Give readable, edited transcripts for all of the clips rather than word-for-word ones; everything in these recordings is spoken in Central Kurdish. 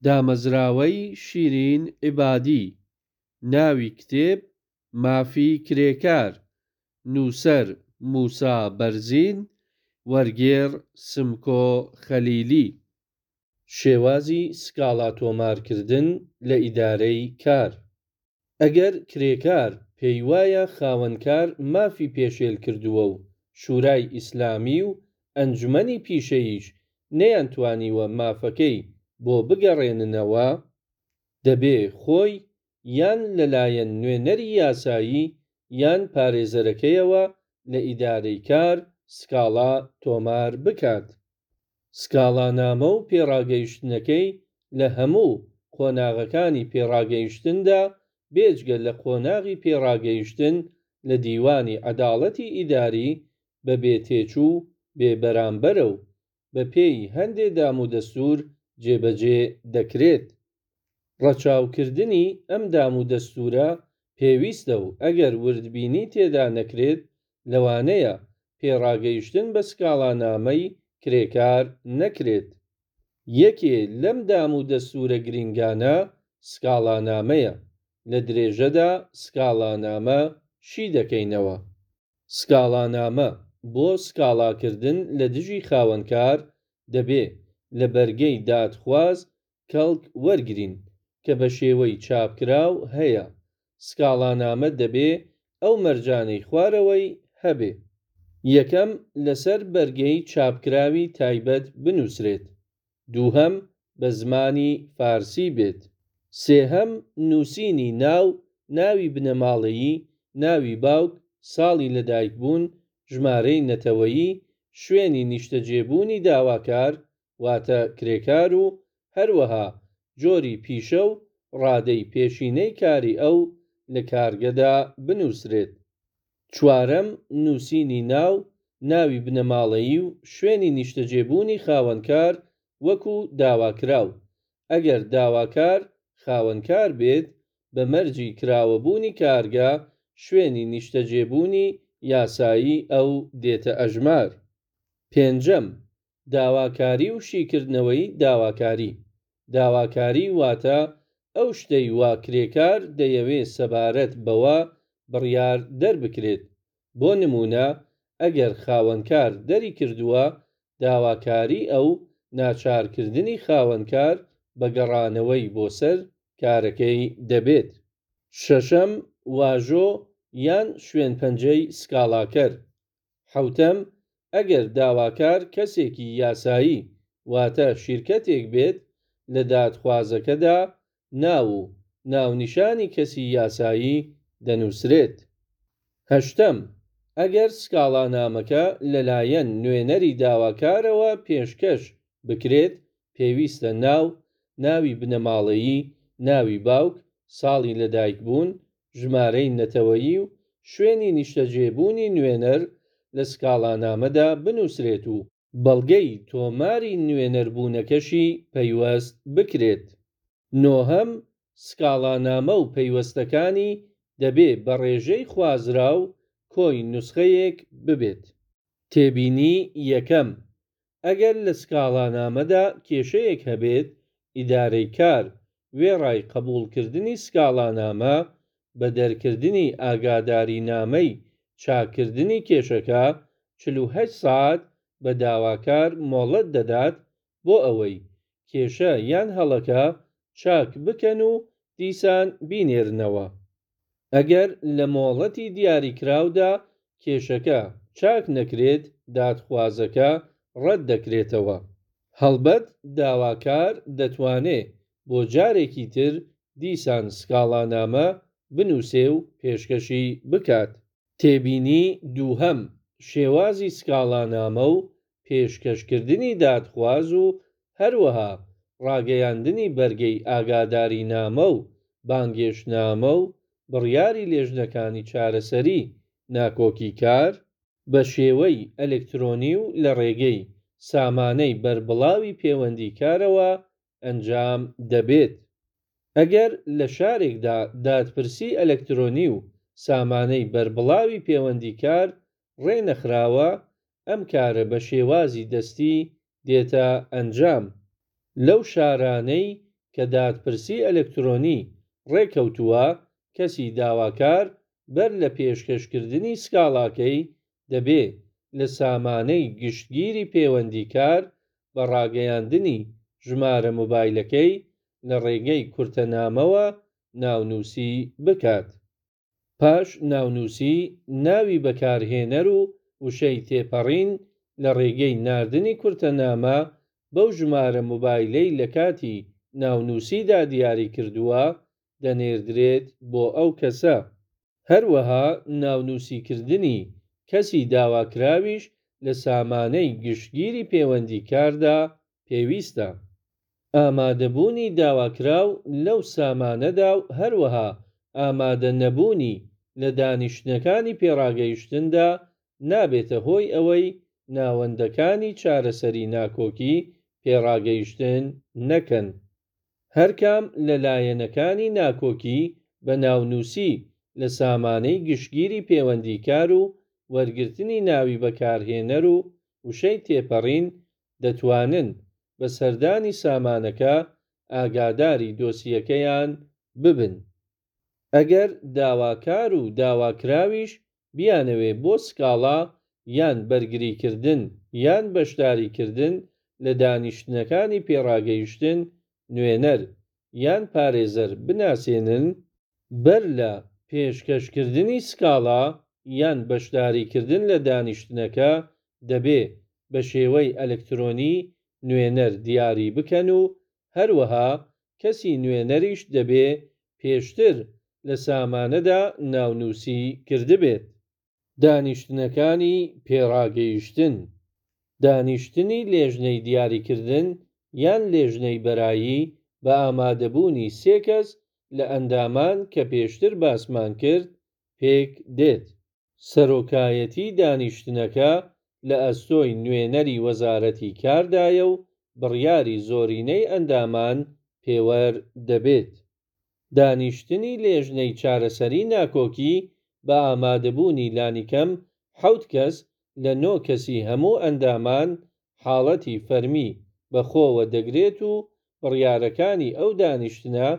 دامەزراوەی شیرین عیبادی، ناوی کتێب، مافی کرێکار، نووسەر، موسا بەرزین، وەرگێڕ، سمکۆ خەلیلی. شێوازی سکاڵا تۆمارکردن لە ئیدارەی کار. ئەگەر کرێکار پێی وایە خاوەنکار مافی پێشێل کردووە و شورای ئیسلامی و ئەنجومەنی پیشەییش نەیانتوانیوە مافەکەی بۆ بگەڕێننەوە، دەبێ خۆی یان لە لایەن نوێنەری یاسایی یان پارێزەرەکەیەوە لە ئیدارەی کار سکاڵا تۆمار بکات. سکاڵانامە و پێڕاگەیشتنەکەی لە هەموو قۆناغەکانی پێڕاگەیشتندا بێجگە لە قۆناغی پێڕاگەیشتن لە دیوانی عەداڵەتی ئیداری بە بێ تێچوو و بێ بەرامبەرە و بە پێی هەندێ دامودەستوور جێبەجێ دەکرێت. ڕەچاوکردنی ئەم دامودەستوورە پێویستە و ئەگەر وردبینی تێدا نەکرێت لەوانەیە پێڕاگەیشتن بە سکاڵانامەی کرێکار نەکرێت. یەکێ لەم دام و دەستوورە گرینگانە سکاڵانامەیە، لە درێژەدا سکاڵانامە شی دەکەینەوە. سکاڵانامە، بۆ سکاڵاکردن لە دژی خاوەنکار دەبێ لە بەرگەی دادخواز کەڵک وەرگرین کە بە شێوەی چاپکراو هەیە. سکاڵانامە دەبێ ئەو مەرجانەی خوارەوەی هەبێ. یەکەم، لەسەر بەرگەی چاپکراوی تایبەت بنووسرێت. دووهەم، بە زمانی فارسی بێت. سێهەم، نووسینی ناو، ناوی بنەماڵەیی، ناوی باوک، ساڵی لەدایکبوون، ژمارەی نەتەوەیی، شوێنی نیشتەجێبوونی داواکار، واتە کرێکار و هەروەها جۆری پیشە و ڕادەی پێشینەی کاری ئەو لە کارگەدا بنووسرێت. چوارەم، نووسینی ناو، ناوی بنەماڵەیی و شوێنی نیشتەجێبوونی خاوەنکار وەکوو داواکراو. ئەگەر داواکار خاوەنکار بێت، بە مەرجی کراوەبوونی کارگە، شوێنی نیشتەجێبوونی یاسایی ئەو دێتە ئەژمار. پێنجەم، داواکاری و شیکردنەوەی داواکاری. داواکاری واتە ئەو شتەی وا کرێکار دەیەوێ سەبارەت بەوە بڕیار دەربکرێت. بۆ نموونە ئەگەر خاوەنکار دەریکردووە، داواکاری ئەو ناچارکردنی خاوەنکار بە گەڕانەوەی بۆ سەر کارەکەی دەبێت. شەشەم، واژۆ یان شوێنپەنجەی سکاڵاکەر. حەوتەم، ئەگەر داواکار کەسێکی یاسایی واتە شیرکەتێک بێت، لە دادخوازەکەدا ناو و ناونیشانی کەسی یاسایی دەنووسرێت. هەشتەم، ئەگەر سکاڵانامەکە لەلایەن نوێنەری داواکارەوە پێشکەش بکرێت، پێویستە ناو، ناوی بنەماڵەیی، ناوی باوک، ساڵی لەدایکبوون، ژمارەی نەتەوەیی و شوێنی نیشتەجێبوونی نوێنەر لە سکاڵانامەدا بنووسرێت و بەڵگەی تۆماری نوێنەربوونەکەشی پەیوەست بکرێت. نۆهەم، سکاڵانامە و پەیوەستەکانی دەبێ بە ڕێژەی خوازراو کۆی نوسخەیەک ببێت. تێبینی یەکەم، ئەگەر لە سکاڵانامەدا کێشەیەک هەبێت، ئیدارەی کار وێڕای قەبووڵکردنی سکاڵانامە، بە دەرکردنی ئاگادارینامەی چاککردنی کێشەکە، 48 سەعات بە داواکار مۆڵەت دەدات بۆ ئەوەی کێشە یان هەڵەکە چاک بکەن و دیسان بینێرنەوە. ئەگەر لە مۆڵەتی دیاریکراودا کێشەکە چاک نەکرێت، دادخوازەکە ڕەت دەکرێتەوە. هەڵبەت داواکار دەتوانێ بۆ جارێکی تر دیسان سکاڵانامە بنووسێ و پێشکەشی بکات. تێبینی دووهەم، شێوازی سکاڵانامە و پێشکەشکردنی دادخواز و هەروەها ڕاگەیاندنی بەرگەی ئاگادارینامە و بانگێشتنامە و بڕیاری لێژنەکانی چارەسەری ناکۆکی کار، بە شێوەی ئەلکترۆنی و لە ڕێگەی سامانەی بەربڵاوی پێوەندی کارەوە ئەنجام دەبێت. ئەگەر لە شارێکدا دادپرسی ئەلکترۆنی و سامانەی بەربڵاوی پێوەندی کار ڕێ نەخراوە، ئەم کارە بە شێوازی دەستی دێتە ئەنجام. لەو شارانەی کە دادپرسی ئەلکترۆنی ڕێکەوتووە، کەسی داواکار بەر لە پێشکەشکردنی سکاڵاکەی دەبێ لە سامانەی گشتگیری پێوەندی کار بە ڕاگەیاندنی ژمارە مۆبایلەکەی لە ڕێگەی کورتەنامەوە ناونووسی بکات. پاش ناونووسی، ناوی بەکارهێنەر و وشەی تێپەڕین لە ڕێگەی ناردنی کورتەنامە بەو ژمارە مۆبایلەی لە کاتی ناونووسیدا دیاریکردووە، دەنێردرێت بۆ ئەو کەسە. هەروەها ناونووسیکردنی کەسی داواکراویش لە سامانەی گشتگیری پێوەندی کاردا پێویستە. ئامادەبوونی داواکراو لەو سامانەدا و هەروەها ئامادەنەبوونی لە دانیشتنەکانی پێڕاگەیشتندا نابێتە هۆی ئەوەی ناوەندەکانی چارەسەری ناکۆکی پێڕاگەیشتن نەکەن. هەرکام لە لایەنەکانی ناکۆکی بە ناونووسی لە سامانەی گشتگیری پێوەندی کار و وەرگرتنی ناوی بەکارهێنەر و وشەی تێپەڕین دەتوانن بە سەردانی سامانەکە ئاگاداری دۆسیەکەیان ببن. ئەگەر داواکار و داواکراویش بیانەوێ بۆ سکاڵا یان بەرگریکردن یان بەشداریکردن لە دانیشتنەکانی پێڕاگەیشتن نوێنەر یان پارێزەر بناسێنن، بەر لە پێشکەشکردنی سکاڵا یان بەشداریکردن لە دانیشتنەکە دەبێ بە شێوەی ئەلکترۆنی نوێنەر دیاری بکەن و هەروەها کەسی نوێنەریش دەبێ پێشتر لە سامانەدا ناونووسی کردبێت. دانیشتنەکانی پێڕاگەیشتن، دانیشتنی لێژنەی دیاریکردن یان لێژنەی بەرایی بە ئامادەبوونی سێ کەس لە ئەندامان کە پێشتر باسمان کرد پێک دێت. سەرۆکایەتی دانیشتنەکە لە ئەستۆی نوێنەری وەزارەتی کاردایە و بڕیاری زۆرینەی ئەندامان پێوەر دەبێت. دانیشتنی لێژنەی چارەسەری ناکۆکی بە ئامادەبوونی لانیکەم حەوت کەس لە نۆ کەسی هەموو ئەندامان حاڵەتی فەرمی بە خۆوە دەگرێت و بڕیارەکانی ئەو دانیشتنە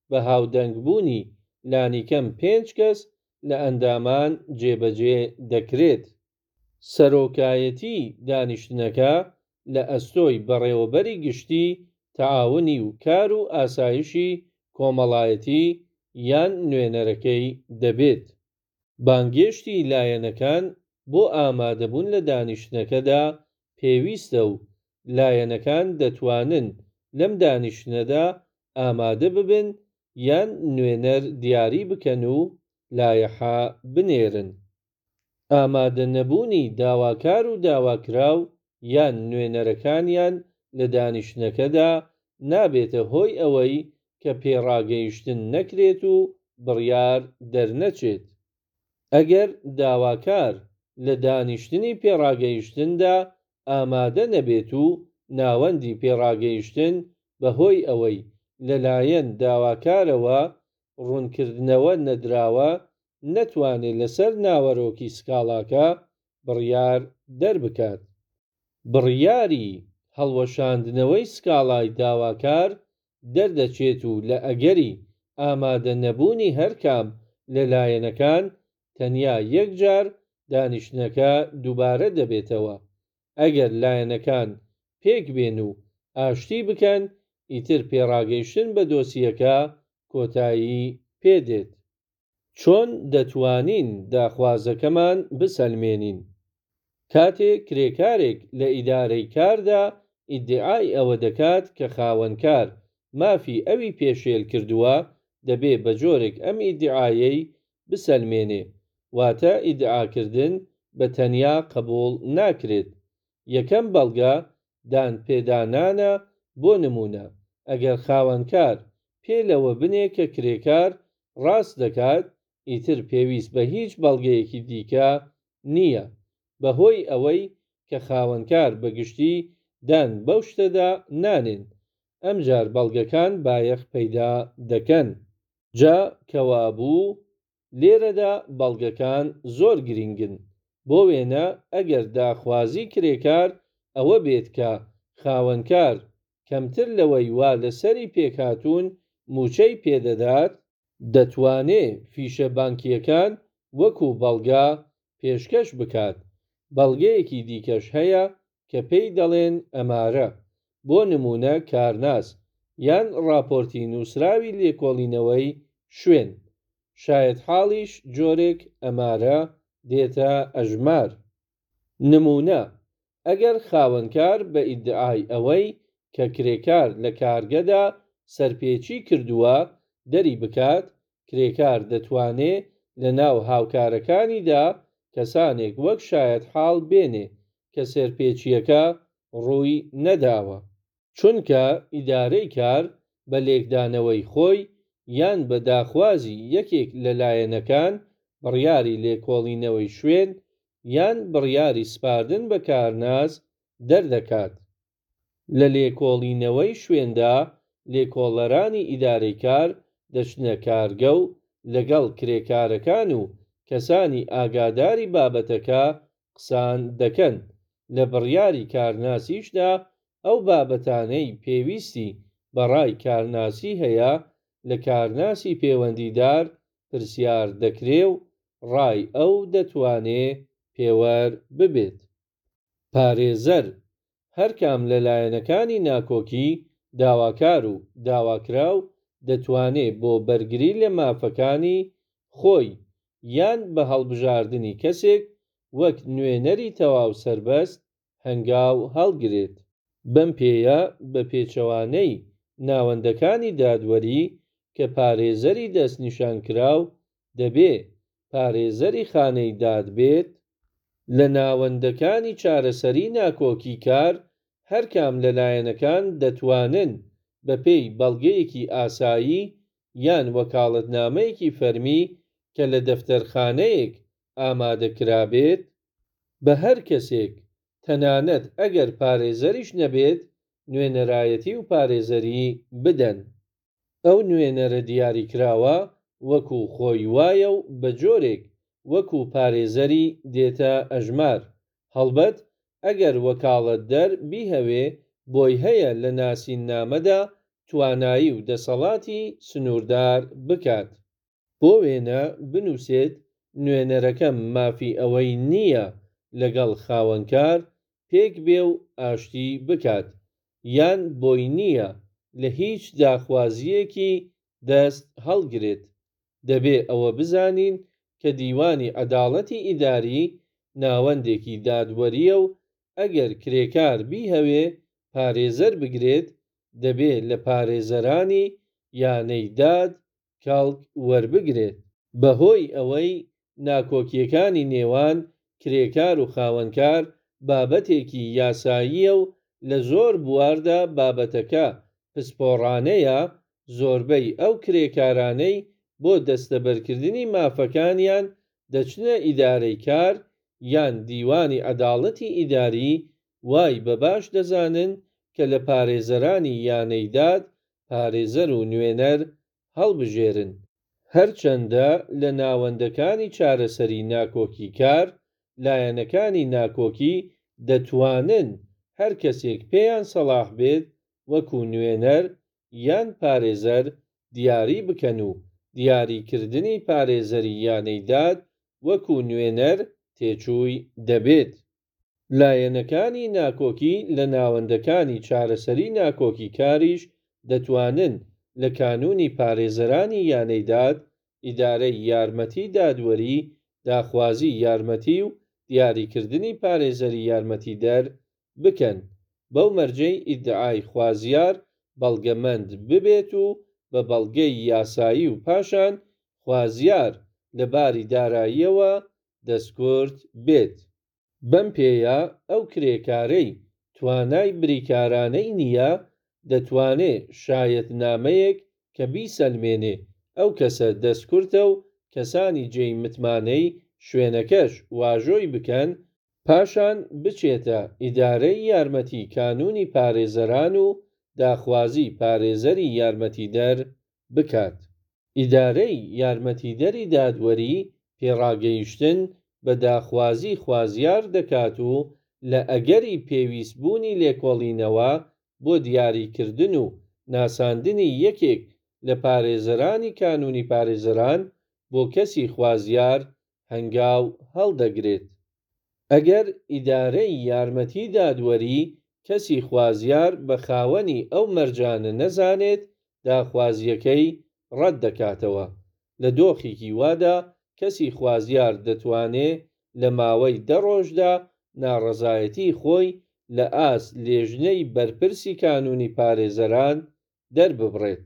بە هاودەنگبوونی لانیکەم پێنج کەس لە ئەندامان جێبەجێ دەکرێت. سەرۆکایەتی دانیشتنەکە لە ئەستۆی بەڕێوەبەری گشتی تەعاونی و کار و ئاسایشی کۆمەڵایەتی یان نوێنەرەکەی دەبێت. بانگێشتی لایەنەکان بۆ ئامادەبوون لە دانیشتنەکەدا پێویستە و لایەنەکان دەتوانن لەم دانیشتنەدا ئامادە ببن یان نوێنەر دیاری بکەن و لایەحە بنێرن. ئامادەنەبوونی داواکار و داواکراو یان نوێنەرەکانیان لە دانیشتنەکەدا نابێتە هۆی ئەوەی کە پێڕاگەیشتن نەکرێت و بڕیار دەرنەچێت. ئەگەر داواکار لە دانیشتنی پێڕاگەیشتندا ئامادە نەبێت و ناوەندی پێڕاگەیشتن بە هۆی ئەوەی لەلایەن داواکارەوە ڕوونکردنەوە نەدراوە نەتوانێ لەسەر ناوەرۆکی سکاڵاکە بڕیار دەربکات. بڕیاری هەڵوەشاندنەوەی سکاڵای داواکار دەردەچێت و لە ئەگەری ئامادە نەبوونی هەرکام لە لایەنەکان تەنیا یەک جار دانیشتنەکە دووبارە دەبێتەوە. ئەگەر لایەنەکان پێک بێن و ئاشتی بکەن ئیتر پێڕاگەیشتن بە دۆسیەکە کۆتایی پێ دێت. چۆن دەتوانین داخوازەکەمان بسەلمێنین؟ کاتێ کرێکارێک لە ئیدارەی کاردا ئیدیعای ئەوە دەکات کە خاوەنکار مافی ئەوی پێشێل کردووە، دەبێ بە جۆرێک ئەم ئیدیعایەی بسەلمێنێ، واتە ئیدعاکردن بە تەنیا قەبووڵ ناکرێت. یەکەم بەڵگە دانپێدانانە، بۆ نموونە ئەگەر خاوەنکار پێ لەوە بنێ کە کرێکار ڕاست دەکات ئیتر پێویست بە هیچ بەڵگەیەکی دیکە نییە، بەهۆی ئەوەی کە خاوەنکار بە گشتی دان بەو شتەدا نانێن، ئەمجار بەڵگەکان بایەخ پەیدا دەکەن. جا کەوابوو لێرەدا بەڵگەکان زۆر گرینگن، بۆ وێنە ئەگەر داخوازی کرێکار ئەوە بێت کە خاوەنکار. کەمتر لەوەی وا لەسەری پێکهاتوون مووچەی پێدەدات، دەتوانێ فیشە بانکییەکان وەکو بەڵگە پێشکەش بکات. بەڵگەیەکی دیکەش هەیە کە پێی دەڵێن ئەمارە، بۆ نموونە کارناس، یان ڕاپۆرتی نووسراوی لێکۆڵینەوەی شوێن. شایەتحاڵیش جۆرێک ئەمارە دێتە ئەژمار. نموونە، ئەگەر خاوەنکار بە ئیدعای ئەوەی کە کرێکار لە کارگەدا سەرپێچی کردووە دەری بکات، کرێکار دەتوانێ لە ناو هاوکارەکانیدا کەسانێک وەک شایەتحاڵ بێنێ کە سەرپێچییەکە ڕووی نەداوە. چونکە ئیدارەی کار بە لێکدانەوەی خۆی یان بە داخوازی یەکێک لە لایەنەکان بڕیاری لێکۆڵینەوەی شوێن یان بڕیاری سپاردن بە کارناس دەردەکات. لە لێکۆڵینەوەی شوێندا لێکۆڵەرانی ئیدارەی کار دەچنە کارگە و لەگەڵ کرێکارەکان و کەسانی ئاگاداری بابەتەکە قسان دەکەن، لە بڕیاری کارناسیشدا ئەو بابەتانەی پێویستی بە ڕای کارناسی هەیە لە کارناسی پێوەندیدار پرسیار دەکرێ و ڕای ئەو دەتوانێ پێوەر ببێت. پارێزەر، هەر کام لە لایەنەکانی ناکۆکی، داواکار و داواکراو، دەتوانێ بۆ بەرگری لە مافەکانی خۆی یان بە هەڵبژاردنی کەسێک وەک نوێنەری تەواو سەربەست هەنگاو هەڵگرێت. بەم پێیە بە پێچەوانەی ناوەندەکانی دادوەری کە پارێزەری دەستنیشانکراو دەبێ پارێزەری خانەی داد بێت، لە ناوەندەکانی چارەسەری ناکۆکی کار هەر کام لە لایەنەکان دەتوانن بە پێی بەڵگەیەکی ئاسایی یان وەکاڵەتنامەیەکی فەرمی کە لە دەفتەرخانەیەک ئامادە کرابێت، بە هەر کەسێک تەنانەت ئەگەر پارێزەریش نەبێت، نوێنەرایەتی و پارێزەری بدەن. ئەو نوێنەرە دیاریکراوە وەکو خۆی وایە و بە جۆرێک وەکو پارێزەری دێتە ئەژمار. هەڵبەت ئەگەر وەکاڵەتدەر بیهەوێ بۆی هەیە لە ناسیننامەدا توانایی و دەسەڵاتی سنووردار بکات. بۆ وێنە بنووسێت نوێنەرەکەم مافی ئەوەی نییە لەگەڵ خاوەنکار پێک بێ و ئاشتی بکات، یان بۆی نییە لە هیچ داخوازییەکی دەست هەڵگرێت. دەبێ ئەوە بزانین کە دیوانی عەداڵەتی ئیداری ناوەندێکی دادوەرییە و ئەگەر کرێکار بیهەوێ پارێزەر بگرێت دەبێ لە پارێزەرانی یانەی داد کەڵک وەربگرێت. بەهۆی ئەوەی ناکۆکییەکانی نێوان کرێکار و خاوەنکار بابەتێکی یاساییە و لە زۆر بواردا بابەتەکە پسپۆڕانەیە، زۆربەی ئەو کرێکارانەی بۆ دەستەبەرکردنی مافەکانیان دەچنە ئیدارەی کار یان دیوانی عەداڵەتی ئیداری وای بە باش دەزانن کە لە پارێزەرانی یانەی داد پارێزەر و نوێنەر هەڵبژێرن. هەرچەندە لە ناوەندەکانی چارەسەری ناکۆکی کار، لایەنەکانی ناکۆکی دەتوانن هەر کەسێک پێیان سەڵاح بێت وەکو نوێنەر یان پارێزەر دیاری بکەن و دیاریکردنی پارێزەری یانەی داد وەکو نوێنەر تێچووی دەبێت. لایەنەکانی ناکۆکی لە ناوەندەکانی چارەسەری ناکۆکی کاریش دەتوانن لە کانوونی پارێزەرانی یانەی داد، ئیدارەی یارمەتی دادوەری، داخوازی یارمەتی و دیاریکردنی پارێزەری یارمەتیدەر بکەن، بەو مەرجەی ئیدعای خوازیار بەڵگەمەند ببێت و بە بەڵگەی یاسایی و پاشان خوازیار لە باری داراییەوە دەستکورت بێت. بەم پێیە ئەو کرێکارەی توانای بریکارانەی نییە دەتوانێ شایەتنامەیەک کە بیسەلمێنێ ئەو کەسە دەستکورتە و کەسانی جێی متمانەی شوێنەکەش واژۆی بکەن، پاشان بچێتە ئیدارەی یارمەتی کانوونی پارێزەران و داخوازی پارێزەری یارمەتیدەر بکات. ئیدارەی یارمەتیدەری دادوەری پێڕاگەیشتن بە داخوازی خوازیار دەکات و لە ئەگەری پێویست بوونی لێکۆڵینەوە بۆ دیاریکردن و ناساندنی یەکێک لە پارێزەرانی کانوونی پارێزەران بۆ کەسی خوازیار هەنگاو هەڵدەگرێت. ئەگەر ئیدارەی یارمەتی دادوەری کەسی خوازیار بە خاوەنی ئەو مەرجانە نەزانێت، داخوازییەکەی ڕەت دەکاتەوە. لە دۆخێکی وادا کەسی خوازیار دەتوانێ لە ماوەی دە ڕۆژدا ناڕەزایەتیی خۆی لە ئاست لێژنەی بەرپرسی کانوونی پارێزەران دەرببڕێت.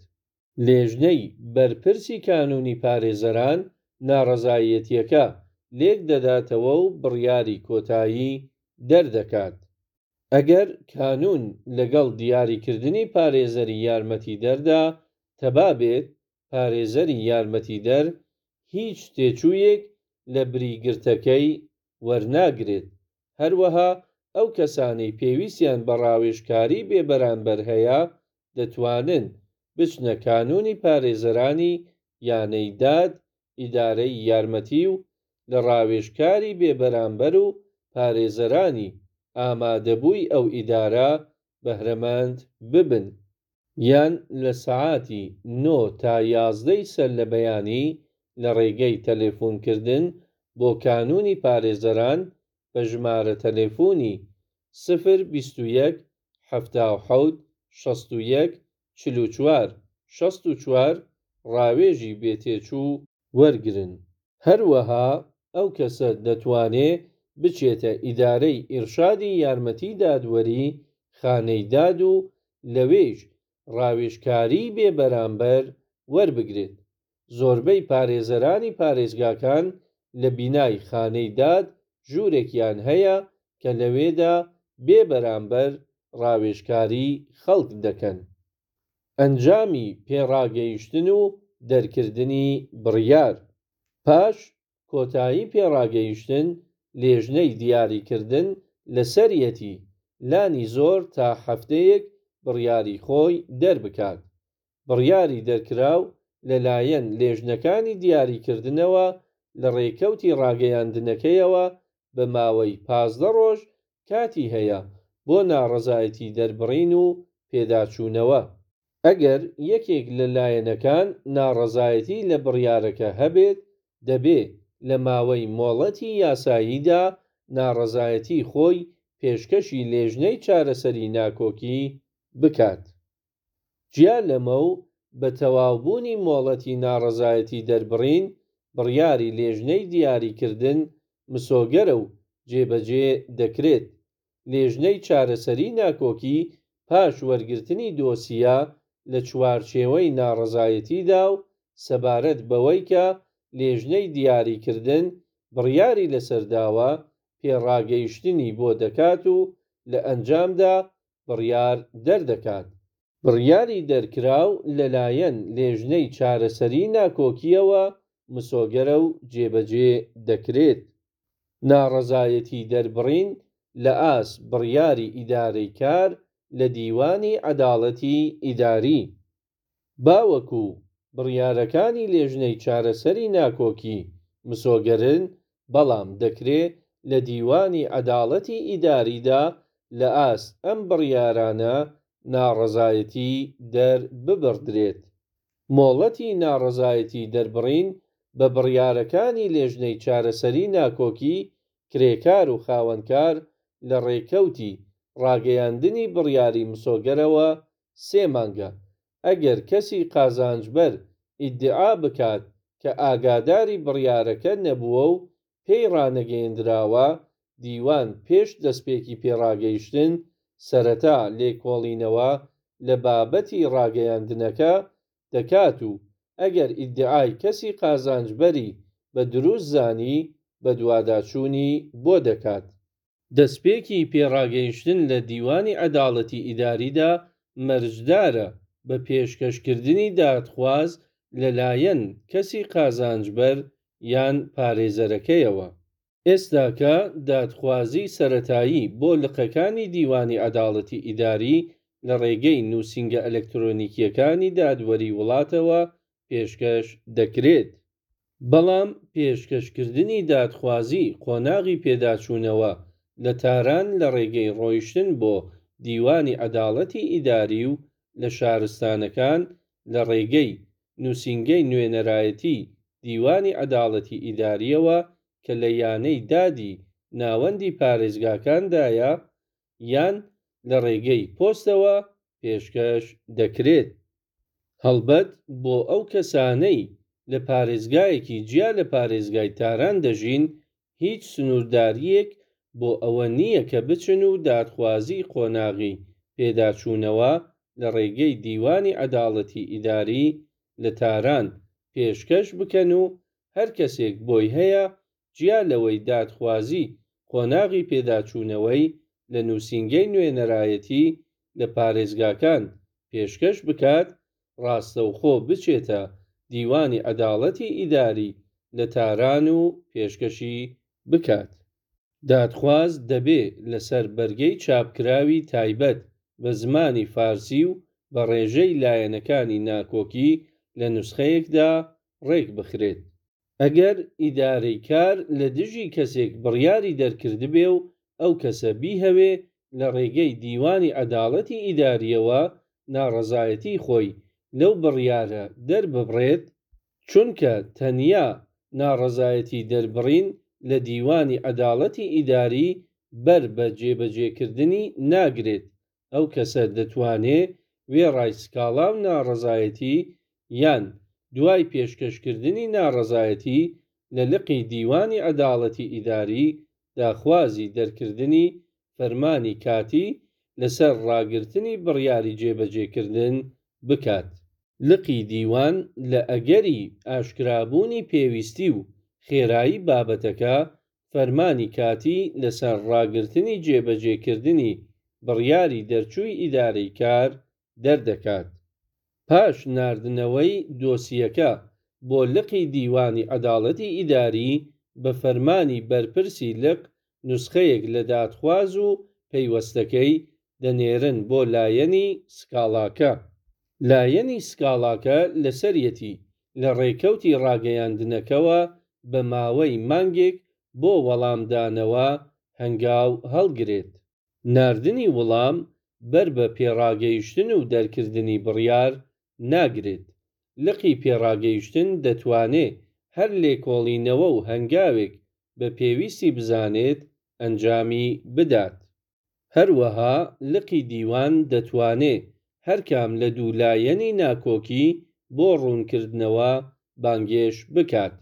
لێژنەی بەرپرسی کانوونی پارێزەران ناڕەزایەتییەکە لێک دەداتەوە و بڕیاری کۆتایی دەردەکات. ئەگەر کانوون لەگەڵ دیاریکردنی پارێزەری یارمەتیدەردا تەبا بێت، پارێزەری یارمەتیدەر هیچ تێچوویەک لە بری گرتەکەی وەرناگرێت. هەروەها ئەو کەسانەی پێویستیان بە ڕاوێژکاری بێبەرانبەر هەیە دەتوانن بچنە کانوونی پارێزەرانی یانەی داد ئیدارەی یارمەتی و لە ڕاوێژکاری بێبەرانبەر و پارێزەرانی ئامادەبووی ئەو ئیدارە بەهرەمەند ببن. یان لە سەعاتی نۆ تا یازدەی سەر لە بەیانی لە ڕێگەی تەلەفونکردن بۆ کانوونی پارێزەران بە ژمارە تەلەفونی، سفر 21 77 61 44 64، ڕاوێژی بێ تێچوو وەرگرن. هەروەها ئەو کەسە دەتوانێ بچێتە ئیدارەی ئیرشادی یارمەتی دادوەری خانەی داد و لەوێیش ڕاوێژکاریی بێ بەرامبەر وەربگرێت. زۆربەی پارێزەرانی پارێزگاکان لە بینای خانەی داد ژوورێکیان هەیە کە لەوێدا بێ بەرامبەر ڕاوێژکاری خەڵک دەکەن. ئەنجامی پێڕاگەیشتن و دەرکردنی بڕیار. پاش کۆتایی پێڕاگەیشتن، لێژنەی دیاریکردن لەسەریەتی لانی زۆر تا هەفتەیەک بڕیاری خۆی دەربکات. بڕیاری دەرکراو لە لایەن لێژنەکانی دیاریکردنەوە لە ڕێکەوتی ڕاگەیاندنەکەیەوە بە ماوەی 15 ڕۆژ کاتی هەیە بۆ ناڕەزایەتی دەربڕین و پێداچوونەوە. ئەگەر یەکێک لە لایەنەکان ناڕەزایەتی لە بڕیارەکە هەبێت، دەبێ لە ماوەی مۆڵەتی یاساییدا ناڕەزایەتی خۆی پێشکەشی لێژنەی چارەسەری ناکۆکی بکات. جیا لەمە و بە تەواوبوونی مۆڵەتی ناڕەزایەتی دەربڕین، بڕیاری لێژنەی دیاریکردن مسۆگەرە و جێبەجێ دەکرێت. لێژنەی چارەسەری ناکۆکی پاش وەرگرتنی دۆسیە لە چوارچێوەی ناڕەزایەتیدا و سەبارەت بەوەی کە لێژنەی دیاریکردن بڕیاری لەسەر داوە، پێڕاگەیشتنی بۆ دەکات و لە ئەنجامدا بڕیار دەردەکات. بڕیاری دەرکراو لەلایەن لێژنەی چارەسەری ناکۆکییەوە مسۆگەرە و جێبەجێ دەکرێت. ناڕەزایەتی دەربڕین لە ئاست بڕیاری ئیدارەی کار لە دیوانی عەداڵەتی ئیداری. باوەکو بڕیارەکانی لێژنەی چارەسەری ناکۆکی مسۆگەرن، بەڵام دەکرێ لە دیوانی عەداڵەتی ئیداریدا لە ئاست ئەم بڕیارانە ناڕەزایەتی دەرببڕدرێت. مۆڵەتی ناڕەزایەتی دەربڕین بە بڕیارەکانی لێژنەی چارەسەری ناکۆکی کرێکار و خاوەنکار لە ڕێکەوتی ڕاگەیاندنی بڕیاری مسۆگەرەوە سێ مانگە، ئەگەر کەسی قازانجبەر ئیدعا بکات کە ئاگاداری بڕیارەکە نەبووە و پێی ڕانەگەیەندراوە، دیوان پێش دەستپێکی پێڕاگەیشتن سەرەتا لێکۆڵینەوە لە بابەتی ڕاگەیاندنەکە دەکات و ئەگەر ئیدعای کەسی قازانجبەری بە دروست زانی بەدواداچوونی بۆ دەکات. دەستپێکی پێڕاگەیشتن لە دیوانی عەداڵەتی ئیداریدا مەرجدارە بە پێشکەشکردنی دادخواز لەلایەن کەسی قازانجبەر یان پارێزەرەکەیەوە. ئێستاکە دادخوازی سەرەتایی بۆ لقەکانی دیوانی عەداڵەتی ئیداری لە ڕێگەی نووسینگە ئەلکترۆنیکییەکانی دادوەری وڵاتەوە پێشکەش دەکرێت. بەڵام پێشکەشکردنی دادخوازی قۆناغی پێداچوونەوە لە تاران لە ڕێگەی ڕۆیشتن بۆ دیوانی عەداڵەتی ئیداری و لە شارستانەکان لە ڕێگەی نووسینگەی نوێنەرایەتیی دیوانی عەداڵەتی ئیدارییەوە کە لە یانەی دادی ناوەندی پارێزگاکاندایە یان لە ڕێگەی پۆستەوە پێشکەش دەکرێت. هەڵبەت بۆ ئەو کەسانەی لە پارێزگایەکی جیا لە پارێزگای تاران دەژین، هیچ سنووردارییەک بۆ ئەوە نییە کە بچن و دادخوازیی قۆناغی پێداچوونەوە لە ڕێگەی دیوانی عەداڵەتی ئیداری لە تاران پێشکەش بکەن و هەر کەسێک بۆی هەیە جیا لەوەی دادخوازی قۆناغی پێداچوونەوەی لە نووسینگەی نوێنەرایەتی لە پارێزگاکان پێشکەش بکات، ڕاستەوخۆ بچێتە دیوانی عەداڵەتی ئیداری لە تاران و پێشکەشی بکات. دادخواز دەبێ لەسەر بەرگەی چاپکراوی تایبەت بە زمانی فارسی و بە ڕێژەی لایەنەکانی ناکۆکی لە نوسخەیەکدا ڕێک بخرێت. ئەگەر ئیدارەی کار لە دژی کەسێک بڕیاری دەرکردبێ و ئەو کەسە بیهەوێ لە ڕێگەی دیوانی عەداڵەتی ئیدارییەوە ناڕەزایەتیی خۆی لەو بڕیارە دەرببڕێت، چونکە تەنیا ناڕەزایەتی دەربڕین لە دیوانی عەداڵەتی ئیداری بەر بە جێبەجێکردنی ناگرێت، ئەو کەسە دەتوانێ وێڕای سکاڵا و ناڕەزایەتی یان دوای پێشکەشکردنی ناڕەزایەتی لە لقی دیوانی عەداڵەتی ئیداری داخوازی دەرکردنی فەرمانی کاتی لەسەر ڕاگرتنی بڕیاری جێبەجێکردن بکات. لقی دیوان لە ئەگەری ئاشکرابوونی پێویستی و خێرایی بابەتەکە، فەرمانی کاتی لەسەر ڕاگرتنی جێبەجێکردنی بڕیاری دەرچووی ئیدارەی کار دەردەکات. پاش ناردنەوەی دۆسیەکە بۆ لقی دیوانی عەداڵەتی ئیداری، بە فەرمانی بەرپرسی لق نوسخەیەک لە دادخواز و پەیوەستەکەی دەنێرن بۆ لایەنی سکاڵاکە. لایەنی سکاڵاکە لەسەریەتی لە ڕێکەوتی ڕاگەیاندنەکەوە بە ماوەی مانگێک بۆ وەڵامدانەوە هەنگاو هەڵگرێت. ناردنی وڵام بەر بە پێڕاگەیشتن و دەرکردنی بڕیار ناگرێت. لقی پێڕاگەیشتن دەتوانێ هەر لێکۆڵینەوە و هەنگاوێک بە پێویستی بزانێت ئەنجامی بدات. هەروەها لقی دیوان دەتوانێ هەرکام لە دوو لایەنی ناکۆکی بۆ ڕوونکردنەوە بانگێش بکات.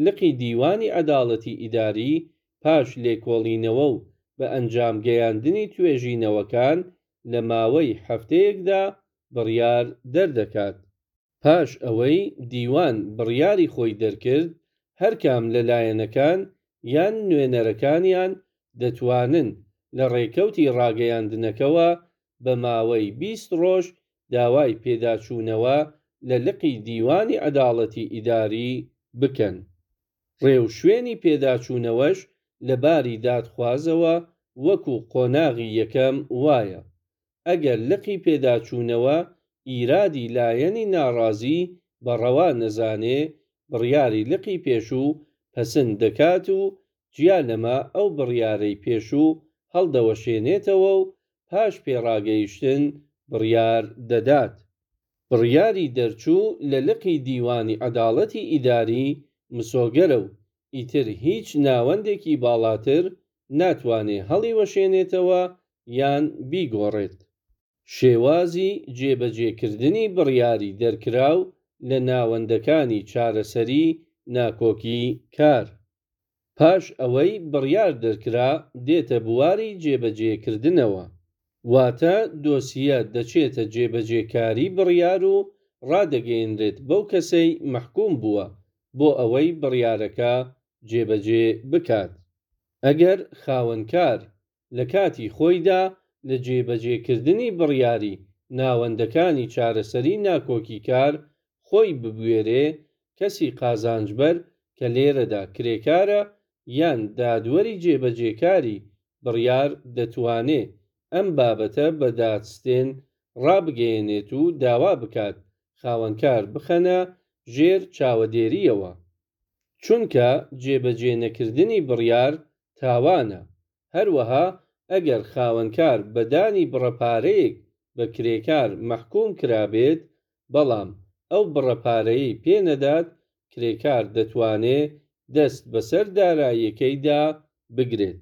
لقی دیوانی عەداڵەتی ئیداری پاش لێکۆڵینەوە و بە ئەنجام گەیاندنی توێژینەوەکان لە ماوەی هەفتەیەکدا بڕیار دەردەکات. پاش ئەوەی دیوان بڕیاری خۆی دەرکرد، هەرکام لە لایەنەکان یان نوێنەرەکانیان دەتوانن لە ڕێکەوتی ڕاگەیاندنەکەوە بە ماوەی 20 ڕۆژ داوای پێداچوونەوە لە لقی دیوانی عەداڵەتی ئیداری بکەن. ڕێوشوێنی پێداچوونەوەش لە باری دادخوازەوە وەکو قۆناغی یەکەم وایە. ئەگەر لقی پێداچوونەوە ئیرادی لایەنی ناڕازی بە ڕەوا نەزانێ، بڕیاری لقی پێشوو پەسند دەکات و جیا لەمە ئەو بڕیارەی پێشوو هەڵدەوەشێنێتەوە و پاش پێڕاگەیشتن بڕیار دەدات. بڕیاری دەرچوو لە لقی دیوانی عەداڵەتی ئیداری مسۆگەرە و ئیتر هیچ ناوەندێکی باڵاتر ناتوانێ هەڵیوەشێنێتەوە یان بیگۆڕێت. شێوازی جێبەجێکردنی بڕیاری دەرکراو لە ناوەندەکانی چارەسەری ناکۆکی کار. پاش ئەوەی بڕیار دەرکرا دێتە بواری جێبەجێکردنەوە. واتە دۆسیە دەچێتە جێبەجێکاری بڕیار و ڕادەگەیەنرێت بەو کەسەی مەحکوم بووە بۆ ئەوەی بڕیارەکە جێبەجێ بکات. ئەگەر خاوەنکار لە کاتی خۆیدا لە جێبەجێکردنی بڕیاری ناوەندەکانی چارەسەری ناکۆکیکار خۆی ببوێرێ، کەسی قازانجبەر کە لێرەدا کرێکارە یان دادوەری جێبەجێکاری بڕیار دەتوانێ ئەم بابەتە بە دادستێن ڕابگەیەنێت و داوا بکات خاوەنکار بخەنە ژێر چاوەدێرییەوە. چونکە جێبەجێنەکردنی بڕیار تاوانە. هەروەها ئەگەر خاوەنکار بە دانی بڕە پارەیەک بە کرێکار مەحکووم کرابێت، بەڵام ئەو بڕە پارەیەی پێ نەدات، کرێکار دەتوانێ دەست بەسەر داراییەکەیدا بگرێت.